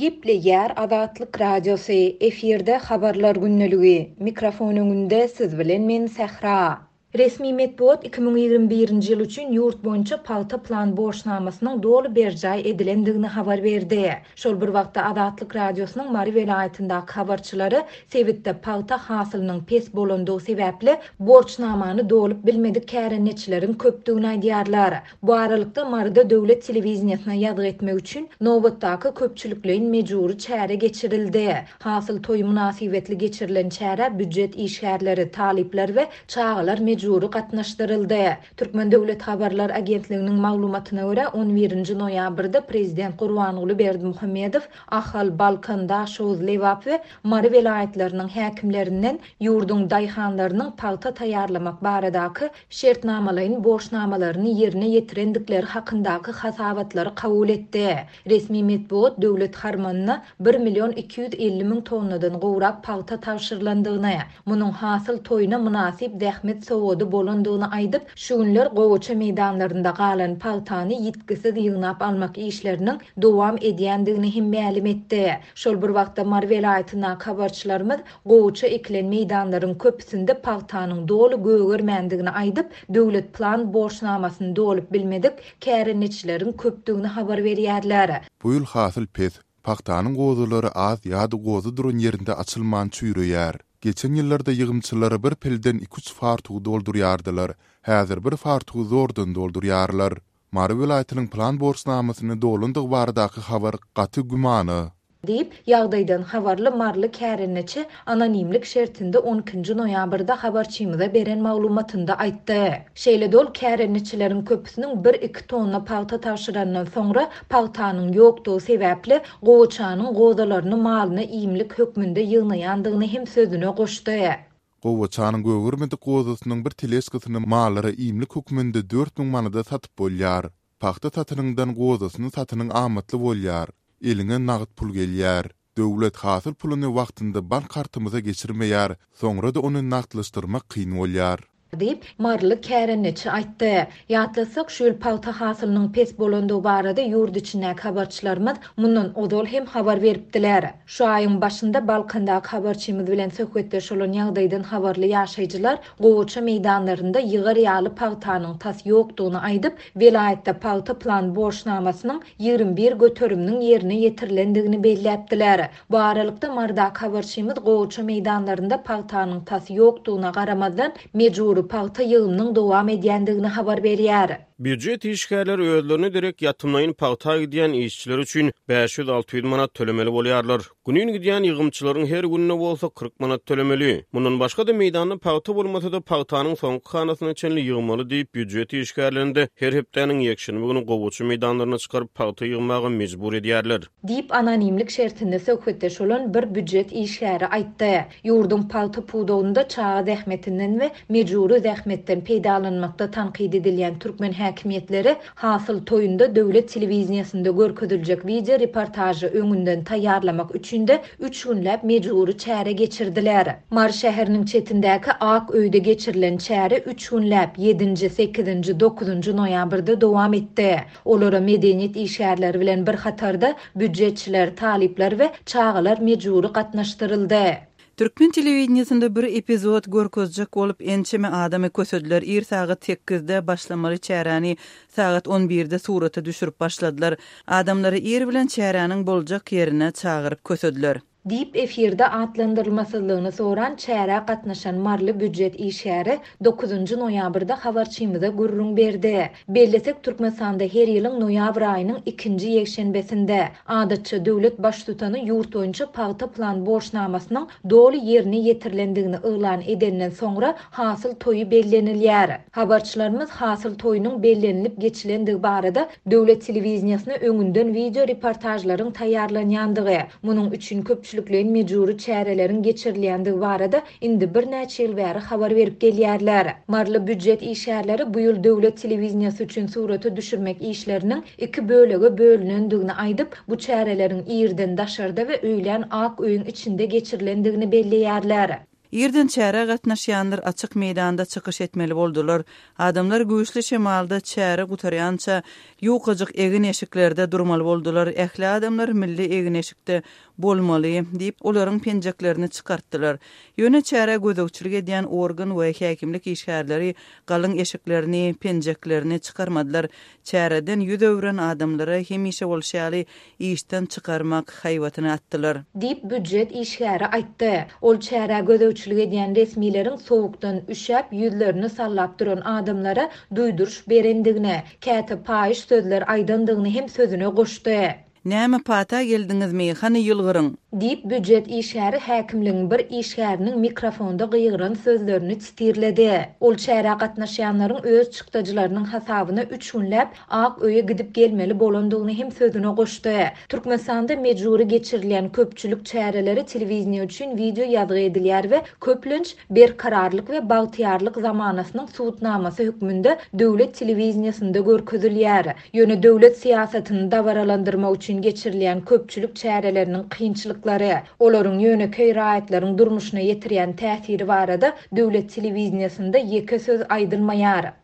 Gepleýär Azatlyk Radiosy, efirde Habarlar gündeligi. Mikrofon öňünde siz bilen men Sähra. Resmi metbugat 2021-nji ýyl üçin ýurt boýunça pagta plan borçnamasynyň doly berjaý edilendigini habar berdi. Şol bir wagtda Azatlyk Radiosynyň Mary welaýatyndaky habarçylary sebitde pagta hasylynyň pes bolandygy sebäpli borçnamany dolup bilmedik kärendeçileriň köpdügini aýdýarlar. Bu aralykda, Maryda döwlet telewideniýesine ýazgy etmek üçin nobatdaky köpçülikleýin mejbury çäre geçirildi. Hasyl toýy mynasybetli geçirilen çärä býujet işgärleri, talyplar we çagalar mejbury gatnaşdyryldy. Türkmen döwlet habarlar agentliginiň maglumatyna görä, on birinji noýabrda prezident Gurbanguly Berdimuhamedow Ahal, Balkan, Daşoguz, Lebap we Mary welaýatlarynyň häkimlerinden ýurduň daýhanlarynyň pagta taýýarlamak baradaky şertnamalaýyn borçnamalaryny ýerine ýetirendikleri hakyndaky hasabatlary kabul etdi. Resmi metbugat döwlet harmanyna bir million 250 müň tonnadan gowrak pagta tabşyrylandygyny, munuň hasyl toýuna mynasyp zähmet sowgady bolandygyny aýdyp, şu günler gowaça meýdanlarynda galan pagtany ýitgisiz ýygnap almak işleriniň dowam edýändigini hem mälim etdi. Şol bir wagtda Mary welaýatyndaky habarçylarymyz Gowaça ekilen meýdanlaryň köpüsinde pagtanyň doly gögermändigini aýdyp, döwlet plan borçnamasyny dolup bilmedik kärendeçileriň köpdügini habar berýärler. Bu ýyl hasyl pes, pagtanyň gozalary az ýa-da goza duran ýerinde açylman çüýreýär. Geçen ýyllarda ýygymçylar bir pilden iki-üç fartugy doldurýardylar, häzir bir fartugy zordan doldurýarlar. Mary welaýatynyň plan borçnamasyny dolandygy baradaky habar gaty gümana. Diýip, ýagdaýdan habarly maryly kärendeçi anonimlik şertinde on ikinji noýabrda habarçymyza beren maglumatynda aýtdy. Şeýle-de ol kärendeçileriň köpüsiniň bir-iki tonna pagta tabşyrandan soňra pagtanyň ýokdugy sebäpli gowaçanyň gozalaryny malyna iýmlik hökmünde ýygnaýandygyny hem sözüne goşdy. Gowaçanyň gögermedik gozasynyň bir teležkasyny mallara iýmlik hökmünde 4000 manada satyp bolýar. Pagta satanyňdan gozasyny satanyň amatly bolýar. Eliňe nagt pul gelýär. Döwlet hasyl puluny wagtynda bank kartymyza geçirmeýär, soňra-da ony nagtlaşdyrmak kyn bolýar. Diýip, maryly kärendeçi aýtdy. Ýatlatsak, şu ýyl pagta hasylynyň pes bolandygy barada ýurt içindäki habarçylarymyz mundan ozal hem habar beripdiler. Şu aýyň başynda Balkandaky habarçymyz bilen söhbetdeş bolan ýagdaýdan habarly ýaşaýjylar gowaça meýdanlarynda ýygar ýaly pagtanyň tas ýokdugyny aýdyp, welaýatda pagta plan borçnamasynyň 21 göteriminiň ýerine ýetirilendigini belläpdiler. Bu aralykda, Marydaky habarçymyz gowaça meýdanlarynda pagtanyň tas ýokdugyna garamazdan, mejbury pagta ýygymynyň dowam edýändigini habar berýär. Býujet işgärleri özlerine derek ýatymlaýyn pagta gidýän işçiler üçin 500-600 manat tölemeli bolýarlar. Günin gidýän ýygymçylaryň her gününe bolsa 40 manat tölemeli. Mundan başga-da meýdanda pagta bolmasa-da pagtanyň soňky hanasyna çenli ýygmaly diýip, býujet işgärlerini-de her hepdäniň ýekşenbe güni gowaça meýdanlaryna çykaryp pagta ýygmaga mejbur edýärler. Diýip, anonimlik şertinde söhbetdeş bolan bir býujet işgäri aýtdy. Ýurduň pagta pudagynda çaga zähmetinden we mejbury zähmetden peýdalanmakda tankyt edilýän türkmen häkimiýetleri hasyl toýunda döwlet telewideniýesinde görkeziljek wideo reportažy öňünden taýýarlamak üçin-de üç günläp mejbury çäre geçirdiler. Mary şäheriniň çetindäki Ak öýde geçirilen çäre üç günläp, ýedinji, sekizinji, dokuzynjy noýabrda dowam etdi. Olara medeniýet işgärleri bilen bir hatarda býujetçiler, talyplar we çagalar mejbury gatnaşdyryldy. Türkmen telewideniýesinde bir epizod görkezjek bolup ençeme adamy kösediler. Ir sagat sekizde başlamaly çäräni sagat on birde surata düşürip başladylar. Adamlary ir bilen çäräniň boljak ýerine çagyryp kösediler. Diýip, efirde atlandyrylmasyzlygyny soran çärä gatnaşan maryly býujet işgäri dokuzynjy noýabrda habarçymyza gürrüň berdi. Bellesek, Türkmenistanda her ýylyň noýabr aýynyň ikinji ýekşenbesinde, adatça, döwlet Baştutany ýurt boýunça pagta plan borçnamasynyň doly ýerine ýetirilendigini yglan edenden soňra hasyl toýy bellenilýär. Habarçylarymyz hasyl toýunyň bellenilip geçilendigi barada döwlet telewideniýesine öňünden wideo reportažlaryň taýýarlanýandygy, munuň üçin köpçülikleýin mejbury çäreleriň geçirilýändigi barada indi birnäçe ýyl bäri habar berip gelýärler. Maryly býujet işgärleri bu ýyl döwlet telewideniýesi üçin surata düşürmek işleriniň iki bölege bölünendigini aýdyp, bu çäreleriň irden daşarda we öýlän ak öýüň içinde geçirilendigini belleýärler. Irden çärä gatnaşýanlar açyk meýdanda çykyş etmeli boldular. Adamlar güýçli şemalda çäre gutarýança ýukajyk egin-eşiklerde durmaly boldular. Ähli adamlar milli egin-eşikde bolmaly diýip, olaryň penjeklerini çykartdylar. Ýöne çärä gözegçilik edýän organ we häkimlik işgärleri galyň eşiklerini, penjeklerini çykarmadylar. Çäreden ýüz öwren adamlara hemişe bolşy ýaly işden çykarmak haýbatyny atdylar. Diýip, býujet işgäri aýtdy. Ol çärä gözegçilik edýän resmileriň sowukdan üşäp, ýüzlerini sallap duran adamlara duýduryş berendigini, käte paýyş sözler aýdandygyny hem sözüne goşdy. Näme pata geldiňizmi, hany ýylgyryň! Diýip, býujet işgäri häkimligiň bir işgäriniň mikrofonda gygyran sözlerini sitirledi. Ol çärä gatnaşýanlaryň öz çykdajylarynyň hasabyna üç günläp Ak öýe gidip gelmeli bolandygyny hem sözüne goşdy. Türkmenistanda mejbury geçirilýän köpçülik çäreleri telewideniýe üçin wideo ýazgy edilýär we köplenç Berkararlyk we bagtyýarlyk zamanasynyň subutnamasy hökmünde döwlet telewideniýesinde görkezilýär. Ýöne döwlet syýasatyny dabaralandyrmak üçin geçirilýän köpçülik çäreleriniň kynçylyklary, olaryň ýönekeý raýatlaryň durmuşyna ýetirýän täsiri barada döwlet telewideniýesinde ýeke söz aýdylmaýar.